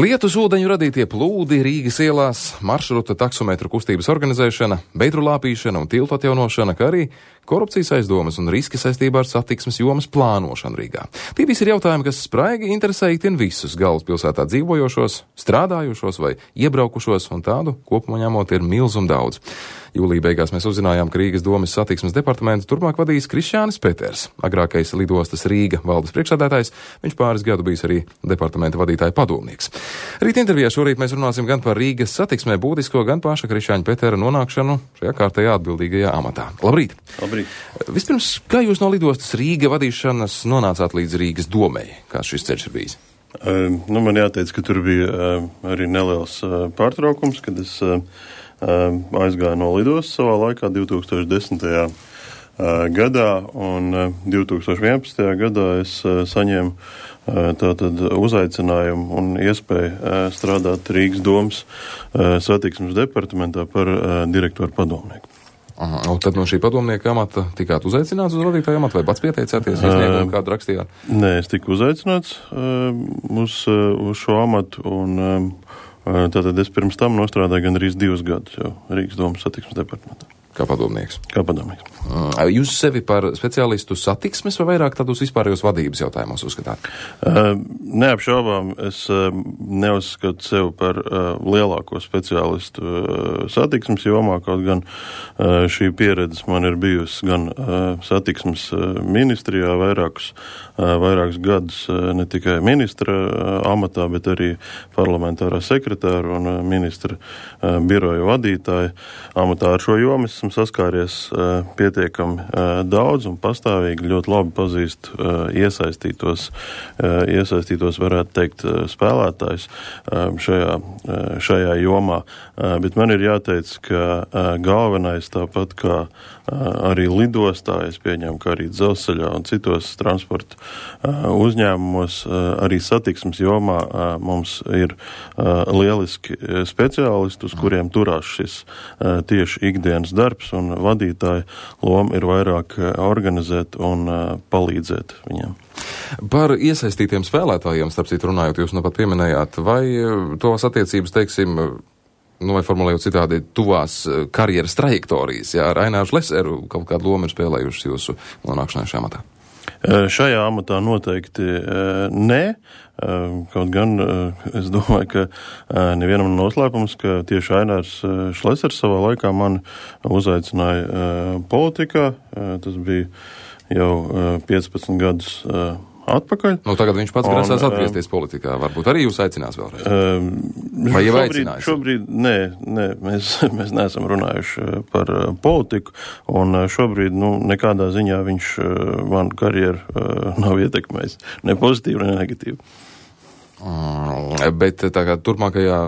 Lietus ūdeņu radītie plūdi Rīgas ielās, maršruta taksometru kustības organizēšana, beidru lāpīšana un tiltu atjaunošana, kā arī korupcijas aizdomas un riski saistībā ar satiksmes jomas plānošanu Rīgā. Tie visi ir jautājumi, kas spraigi interesē itin visus galvaspilsētā dzīvojošos, strādājušos vai iebraukušos, un tādu kopumā ņemot ir milzum daudz. Jūlija beigās mēs uzzinājām, ka Rīgas domes satiksmes departamentu turpmāk vadīs Krišjānis Peters, agrākais lidostas Rīga valdes priekšsēdētājs, viņš pāris gadu bijis arī departamenta vadītāja padomnieks. Rīt intervijā šorīt mēs runāsim gan par Rīgas satiksmē būtisko, gan paša Krišjāņa Petera nonākšanu šajā kārtējā atbildīgajā amatā. Labrīt! Labrīt! Vispirms, kā jūs no lidostas Rīga vadīšanas nonācāt līdz Rīgas domei? Kāds šis ceļš ir bijis? Man jāteic, ka tur bija arī neliels pārtraukums, kad es aizgāju no lidostas savā laikā 2010. Gadā, un 2011. gadā es saņēmu tātad uzaicinājumu un iespēju strādāt Rīgas domes satiksmes departamentā par direktoru padomnieku. Aha, un tad no šī padomnieka amata tikāt uzaicināts uz vadītāju amatu, vai pats pieteicāties, izsniegumu kādu rakstījāt? Nē, es tiku uzaicināts uz šo amatu, un tātad es pirms tam nostrādāju gandrīz 2 gadus jau Rīgas domes satiksmes departamentā. Kā padomnieks? Kā padomnieks. Jūs sevi par speciālistu satiksmes vai vairāk tādus vispārējos vadības jautājumos uzskatāt? Neapšaubām, es neuzskatu sev par lielāko speciālistu satiksmes jomā, kaut gan šī pieredze man ir bijusi gan satiksmes ministrijā vairākus gadus, ne tikai ministra amatā, bet arī parlamentārā sekretāra un ministra biroja vadītāja amatā. Ar šo jomu esmu saskāries pietiekami daudz un pastāvīgi ļoti labi pazīst iesaistītos, varētu teikt, spēlētājs šajā jomā. Bet man ir jāteic, ka galvenais tāpat kā arī lidostā, es pieņemu, ka arī dzelzceļā un citos transporta uzņēmumos, arī satiksmes jomā mums ir lieliski speciālisti, uz kuriem turās šis tieši ikdienas darbs, un vadītāja loma ir vairāk organizēt un palīdzēt viņiem. Par iesaistītiem spēlētājiem, starp citu runājot, jūs nu pat pieminējāt, vai tos attiecības, teiksim, vai formulējot citādi, tuvās karjeras trajektorijas, jā, ar Aināru Šleseru kaut kādu lomu ir spēlējušas jūsu nonākšanai šajā amatā? Šajā amatā noteikti nē, kaut gan es domāju, ka nevienam noslēpums, ka tieši Ainārs Šlesers savā laikā mani uzaicināja politikā, tas bija jau 15 gadus atpakaļ. Nu, tagad viņš pats grasās atgriezties politikā. Varbūt arī jūs aicinās vēlreiz? Vai jau aicinājis? Šobrīd, nē, mēs neesam runājuši par politiku, un šobrīd, nekādā ziņā viņš man karjeru nav ietekmējis. Ne pozitīvi, ne negatīvi. Bet tā kā turpmākajā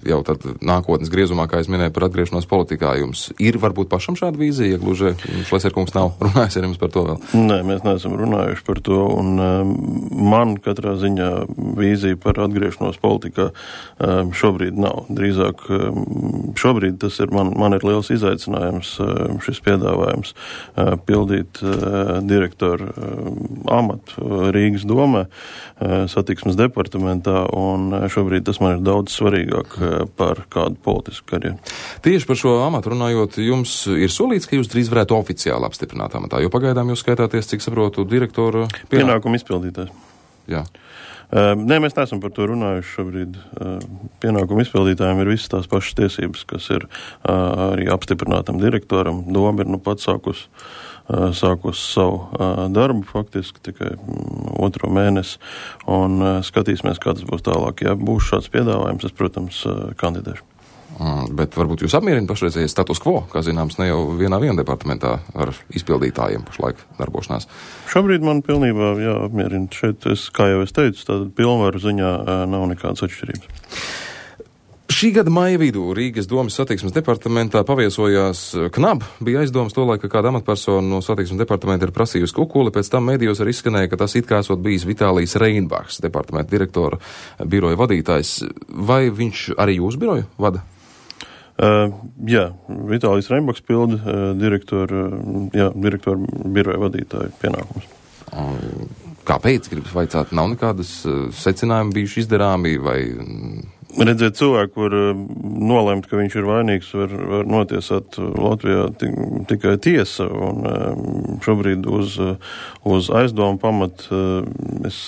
jau tad nākotnes griezumā, kā es minēju par atgriešanos politikā, jums ir varbūt pašam šāda vīzija, ja gluži Šleserkungs nav runājis ar jums par to vēl? Nē, mēs neesam runājuši par to, un man katrā ziņā vīzija par atgriešanos politikā šobrīd nav. Drīzāk šobrīd tas ir, man ir liels izaicinājums šis piedāvājums pildīt direktoru amatu Rīgas domē, satiksmes departamentā, un šobrīd tas man ir daudz svarīgāk par kādu politisku karjeru. Tieši par šo amatu runājot, jums ir solīts, ka jūs drīz varētu oficiāli apstiprināt amatā, jo pagaidām jūs skaitāties, cik saprotu, direktora pienākumu izpildītājs. Jā. Nē, mēs neesam par to runājuši šobrīd. Pienākumu izpildītājiem ir visas tās pašas tiesības, kas ir arī apstiprinātam direktoram. Doma ir pat sākus savu darbu faktiski tikai 2. mēnesi, un skatīsimies, kā tas būs tālāk. Ja būs šāds piedāvājums, es, protams, kandidēšu. Bet varbūt jūs apmierina pašreizējais status quo, kā zināms, ne jau vienā departamentā ar izpildītājiem pašlaik darbošanās. Šobrīd man pilnībā apmierina. Šeit, kā jau es teicu, tātad pilnvaru ziņā nav nekādas atšķirības. Šī gada maija vidū Rīgas domes satiksmes departamentā paviesojās Knab. Bija aizdomas tolaik, ka kāda amatpersona no satiksmes departamenta ir prasījusi kukuli, pēc tam medijos arī izskanēja, ka tas it kā esot bijis Vitālijs Reinbachs, departamenta direktora biroja vadītājs. Vai viņš arī jūsu biroju vada? Jā, Vitālijs Reinbachs pilda direktora biroja vadītāju pienākumus. Kāpēc, gribas vaicāt, nav nekādas secinājumi bijuši izdarāmi, vai Redzēt, cilvēku var nolemt, ka viņš ir vainīgs, var notiesāt Latvijā tikai tiesa, un šobrīd uz aizdomu pamatu es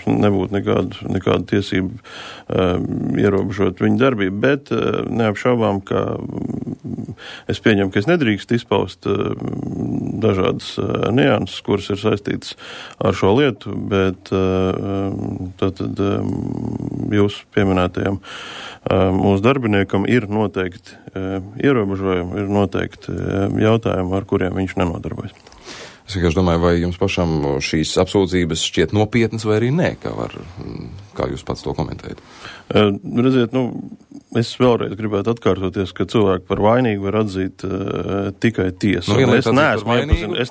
nebūtu nekādu tiesību ierobežot viņu darbību, bet neapšaubām, ka es pieņemu, ka es nedrīkst izpaust dažādas nianses, kuras ir saistītas ar šo lietu, bet tātad jūs pieminētajam mūsu darbiniekam ir noteikti ierobežojumi, ir noteikti jautājumi, ar kuriem viņš nenodarbojas. Es vienkārši domāju, vai jums pašam šīs apsūdzības šķiet nopietnas vai arī nē, kā jūs pats to komentējat? Redziet, es vēlreiz gribētu atkārtoties, ka cilvēku par vainīgu var atzīt tikai tiesa. Es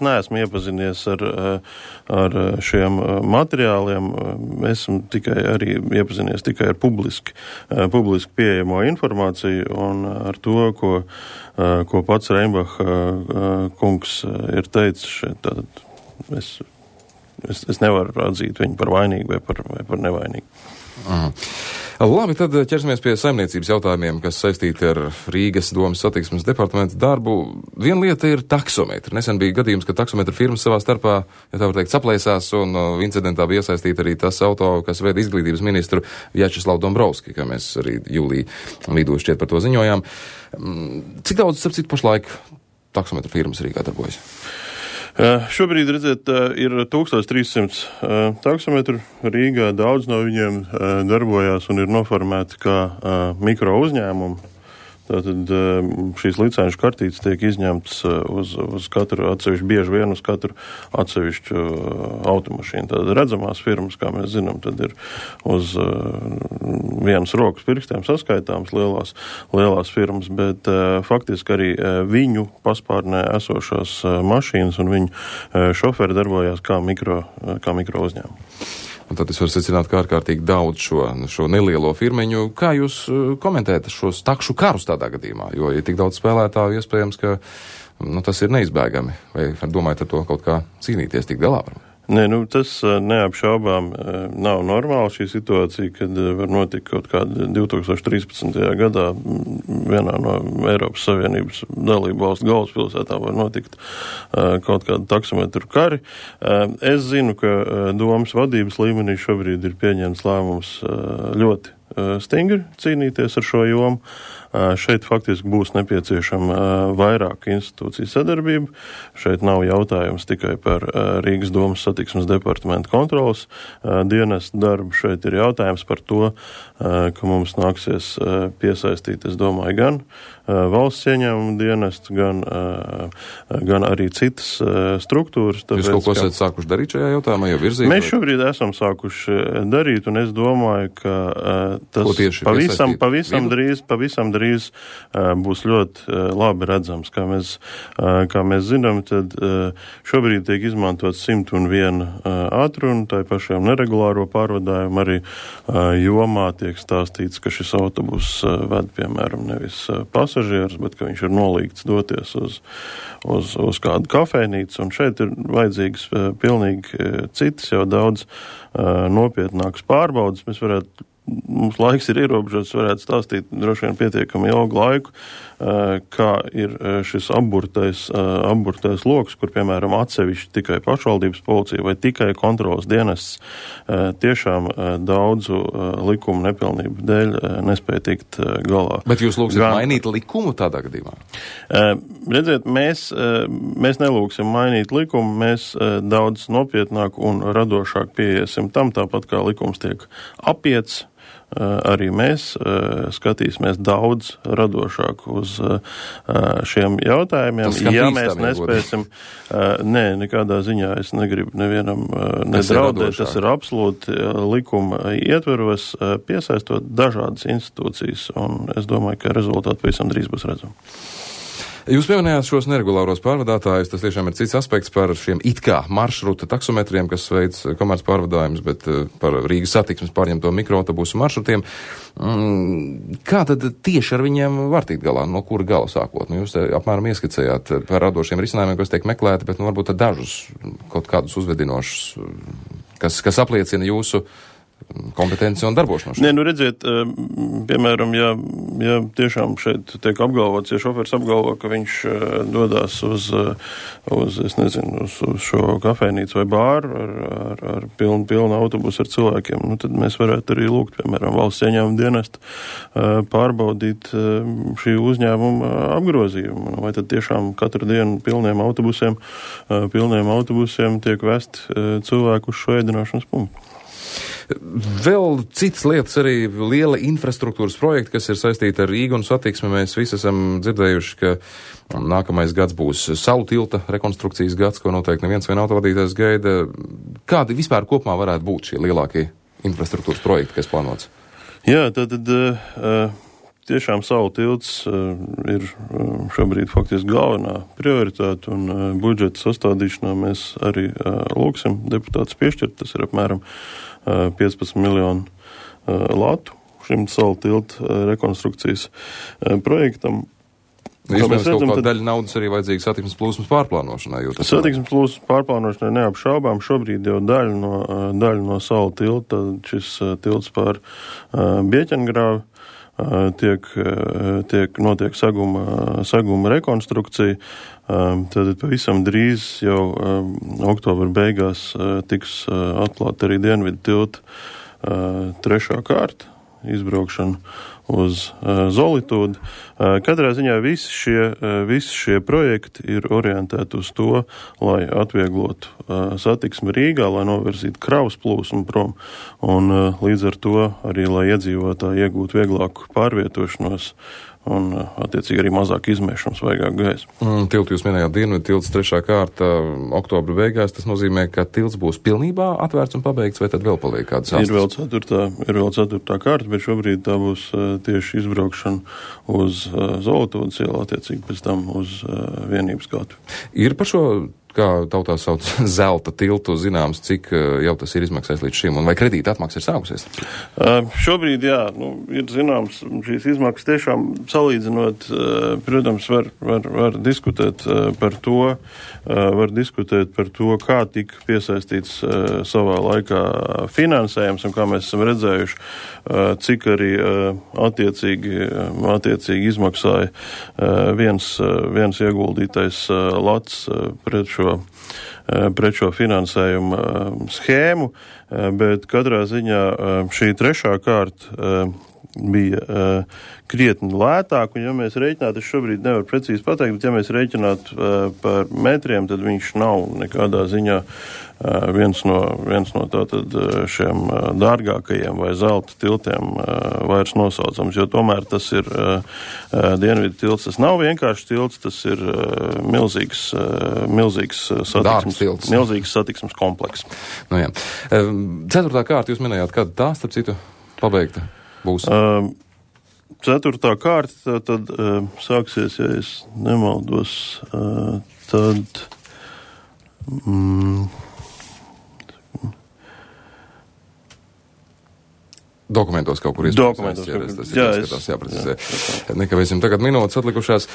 neesmu iepazinies ar šiem materiāliem, esmu arī iepazinies tikai ar publiski pieejamo informāciju un ar to, ko pats Reinbacha kungs ir teicis šeit. Tātad es nevaru atzīt viņu par vainīgu vai par nevainīgu. Labi, tad ķersimies pie saimniecības jautājumiem, kas saistīti ar Rīgas domas satiksmes departamenta darbu. Viena lieta ir taksometri. Nesen bija gadījums, ka taksometru firmas savā starpā, ja tā var teikt, saplēsās, un incidentā bija iesaistīta arī tas auto, kas veda izglītības ministru Vjačeslavu Dombrovski, kā mēs arī jūlijā vidū šķiet par to ziņojām. Cik daudz, starp citu, pašlaik taksometru firmas Rīgā darbojas? Šobrīd, redzēt, ir 1300 taksometru Rīgā, daudz no viņiem darbojās un ir noformēti kā mikro uzņēmumi. Tātad šīs licenšu kartītes tiek izņemtas uz katru atsevišķu, bieži vien uz katru atsevišķu automašīnu. Tātad redzamās firmas, kā mēs zinām, tad ir uz vienas rokas pirkstiem saskaitāmas lielās firmas, bet faktiski arī viņu paspārnē esošās mašīnas un viņu šoferi darbojās kā mikro uzņēmumi. Un tad es varu secināt, ka ārkārtīgi daudz šo nelielo firmeņu. Kā jūs komentējat šos takšu karus tādā gadījumā? Jo, ja tik daudz spēlētāju, iespējams, ka tas ir neizbēgami. Vai domājat ar to kaut kā cīnīties, tik galā? Nē, tas neapšaubām nav normāli šī situācija, kad var notikt kaut kāda 2013. gadā vienā no Eiropas Savienības dalību valstu galvaspilsētām var notikt kaut kāda taksometru kari. Es zinu, ka domas vadības līmenī šobrīd ir pieņemts lēmums ļoti stingri cīnīties ar šo jomu. Šeit faktiski būs nepieciešama vairāk institūciju sadarbība. Šeit nav jautājums tikai par Rīgas domas satiksmes departamenta kontrolas dienestu darbu. Šeit ir jautājums par to, ka mums nāksies piesaistīt, es domāju, gan valsts ieņēmumu dienestu, gan arī citas struktūras. Tāpēc, jūs kaut ko esat sākuši darīt šajā jautājumā, jau virzīt? Mēs šobrīd esam sākuši darīt, un es domāju, ka tas pavisam drīz būs ļoti labi redzams. Kā mēs zinām, tad šobrīd tiek izmantot 101 ātrunu, tā pašiem neregulāro pārvadājumu arī jomā tiek stāstīts, ka šis autobus ved, piemēram, nevis pasažierus, bet ka viņš ir nolīgts doties uz kādu kafejnīcu, un šeit ir vajadzīgs pilnīgi citas, jau daudz nopietnākas pārbaudas. Mums laiks ir ierobežots, varētu stāstīt droši vien pietiekami ilgu laiku, kā ir šis apburtais loks, kur, piemēram, atsevišķi tikai pašvaldības policija vai tikai kontrolas dienests tiešām daudzu likumu nepilnību dēļ nespēja tikt galā. Bet jūs lūgsiet mainīt likumu tādā gadījumā? Redziet, mēs nelūgsim mainīt likumu, mēs daudz nopietnāk un radošāk pieiesim tam, tāpat kā likums tiek apiets. Arī mēs skatīsimies daudz radošāk uz šiem jautājumiem. Ja mēs nespēsim, nekādā ziņā es negribu nevienam nedraudēt, tas ir absolūti likuma ietveros, piesaistot dažādas institūcijas, un es domāju, ka rezultāti pavisam drīz būs redzami. Jūs pieminējāt šos neregulāros pārvadātājus, tas tiešām ir cits aspekts par šiem it kā maršruta taksometriem, kas veids komerc pārvadājumus, bet par Rīgas satiksmes pārņemto mikroautobusu maršrutiem. Kā tad tieši ar viņiem var tikt galā? No kura gala sākot? Jūs apmēram ieskicējāt par radošiem risinājumiem, kas tiek meklēti, bet varbūt dažus kaut kādus uzvedinošus, kas apliecina jūsu kompetenci un darbošanos. Nē, nu redziet, piemēram, ja tiešām šeit tiek apgalvots, ja šoferis apgalvo, ka viņš dodās uz šo kafejnīcu vai bāru ar pilnu autobusu ar cilvēkiem, nu tad mēs varētu arī lūgt, piemēram, valsts ieņēmuma dienestu pārbaudīt šī uzņēmuma apgrozījumu. Vai tad tiešām katru dienu pilniem autobusiem tiek vest cilvēku uz šo ēdināšanas punktu. Vēl citas lietas, arī liela infrastruktūras projekti, kas ir saistīti ar Rīgu un satiksmi. Mēs visi esam dzirdējuši, ka nākamais gads būs Salu tilta rekonstrukcijas gads, ko noteikti neviens vien autovadītājs gaida. Kādi vispār kopumā varētu būt šie lielākie infrastruktūras projekti, kas plānots? Jā, tad tiešām Salu tilts ir šobrīd faktiski galvenā prioritāte, un budžeta sastādīšanā mēs arī lūksim deputātus piešķirt. Tas ir apmēram 15 miljonu latu šim Salu tilta rekonstrukcijas projektam. Iespējams, kaut kāda daļa naudas arī vajadzīga satiksmes plūsmas pārplānošanai. Satiksmes plūsmas pārplānošanai neapšaubām. Šobrīd jau daļa no Salu tilta, šis tilts pār Bieķengrāvi, notiek saguma rekonstrukcija. Tad pavisam drīz jau oktobra beigās tiks atklāta arī Dienvidu tilta 3. kārta izbraukšana uz Zolitūdu. Katrā ziņā visi šie projekti ir orientēti uz to, lai atvieglotu satiksmi Rīgā, lai novirzītu kravas plūsmu prom, un līdz ar to arī, lai iedzīvotāji iegūtu vieglāku pārvietošanos un, attiecīgi, arī mazāk izmešanu svaigāku gaisu. Tiltu jūs minējāt Dienvidu tilts 3. kārta oktobra beigās. Tas nozīmē, ka tilts būs pilnībā atvērts un pabeigts, vai tad vēl paliek kādas astes? Ir vēl 4. kārta, bet šobrīd tā būs tieši izbraukšana uz Zolitūdas ielu, attiecīgi pēc tam uz Vienības gatu. Ir par šo, kā tautā sauc, zelta tiltu zināms, cik jau tas ir izmaksājis līdz šim, un vai kredīta atmaksa ir sākusies? Šobrīd, jā, ir zināms, šīs izmaksas tiešām salīdzinot, protams, var diskutēt par to, kā tika piesaistīts savā laikā finansējums, un kā mēs esam redzējuši, cik arī attiecīgi izmaksāja viens ieguldītais lats pret šo finansējumu schēmu, bet katrā ziņā šī 3. kārta bija krietni lētāk, un ja mēs rēķinātu, es šobrīd nevaru precīzi pateikt, bet ja mēs rēķinātu par metriem, tad viņš nav nekādā ziņā viens no tātad šiem dārgākajiem vai zelta tiltiem vairs nosaucams, jo tomēr tas ir Dienvidu tilts. Tas nav vienkārši tilts, tas ir milzīgs satiksmes kompleks. Nu, jā. 4. kārta jūs minējāt, kad tā, starp citu, pabeigta būs? 4. kārta tad sāksies, ja es nemaldos, tad dokumentos kaut kur iespējams. Jāprecizē. Nekavēsim tagad minūtes atlikušās.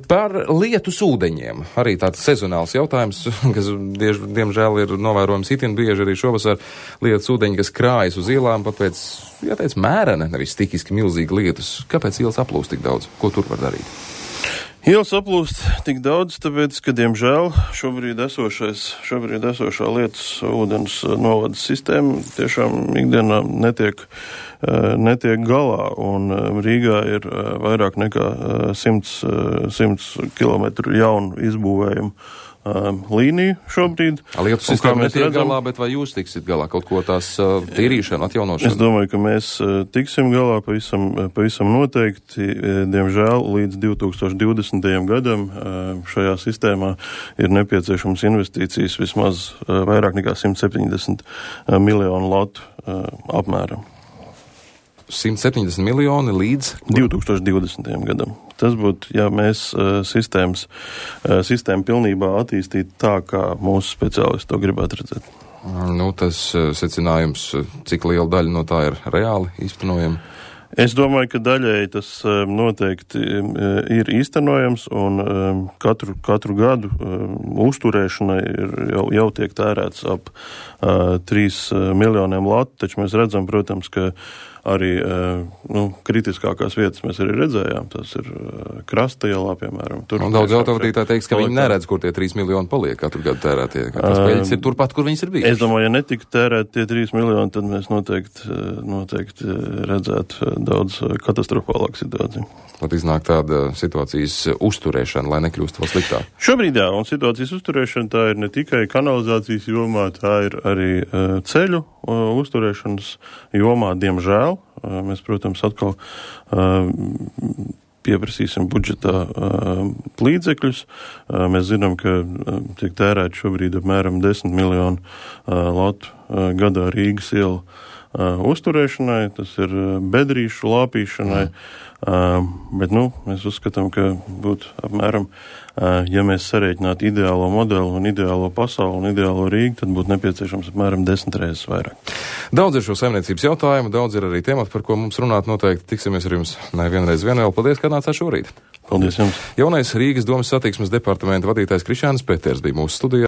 Par lietus ūdeņiem. Arī tāds sezonāls jautājums, kas diemžēl ir novērojams itin bieži arī šovasar. Lietus ūdeņi, kas krājas uz ielām, pat pēc, jāteic, mērene, nevis stikiski milzīgi lietus. Kāpēc ielas aplūst tik daudz? Ko tur var darīt? Ielas aplūst tik daudz, tāpēc, ka, diemžēl, šobrīd esošā lietus ūdens novadas sistēma tiešām ikdienā netiek galā, un Rīgā ir vairāk nekā 100 kilometru jaunu izbūvējumu līniju šobrīd. Lietu sistēma netiek galā, bet vai jūs tiksit galā kaut ko tās tīrīšanu, atjaunošanu? Es domāju, ka mēs tiksim galā pavisam noteikti. Diemžēl līdz 2020. gadam šajā sistēmā ir nepieciešams investīcijas vismaz vairāk nekā 170 miljonu latu apmēram. 170 miljoni līdz 2020. gadam. Tas būtu, ja mēs sistēmu pilnībā attīstītu tā, kā mūsu speciālisti to gribētu redzēt. Nu, tas secinājums, cik liela daļa no tā ir reāli īstenojama? Es domāju, ka daļēji tas noteikti ir īstenojams, un katru gadu uzturēšanai jau tiek tērēts ap 3 miljoniem latu, taču mēs redzam, protams, ka arī kritiskākās vietas mēs arī redzējām. Tas ir Krasta ielā, piemēram. Un daudz autovadītāji teiks, ka viņi neredz, kur tie 3 miljoni paliek katru gadu tērētie. Tas peļķis ir turpat, kur viņas ir bijušas. Es domāju, ja netika tērēt tie 3 miljoni, tad mēs noteikti redzētu daudz katastrofālāku situāciju. Tad iznāk tāda situācijas uzturēšana, lai nekļūst vēl sliktāk. Šobrīd jā, un situācijas uzturēšana tā ir ne tikai kanalizācijas jomā, tā ir arī ceļu uzturēšanas jomā, diemžēl. Mēs, protams, atkal pieprasīsim budžetā līdzekļus. Mēs zinām, ka tiek tērēt šobrīd apmēram 10 miljonu latu gadā Rīgas ielu uzturēšanai, tas ir bedrīšu lāpīšanai, bet, mēs uzskatām, ka būtu apmēram, ja mēs sarēķinātu ideālo modeli un ideālo pasauli un ideālo Rīgu, tad būtu nepieciešams apmēram 10 reizes vairāk. Daudz ir šo saimniecības jautājumu, daudz ir arī temati, par ko mums runāt noteikti. Tiksimies ar jums nevienreiz vien vēl. Paldies, ka nācāt šorīt. Paldies jums. Jaunais Rīgas domas satiksmes departamenta vadītājs Krišjānis Peters bija mūsu studijā.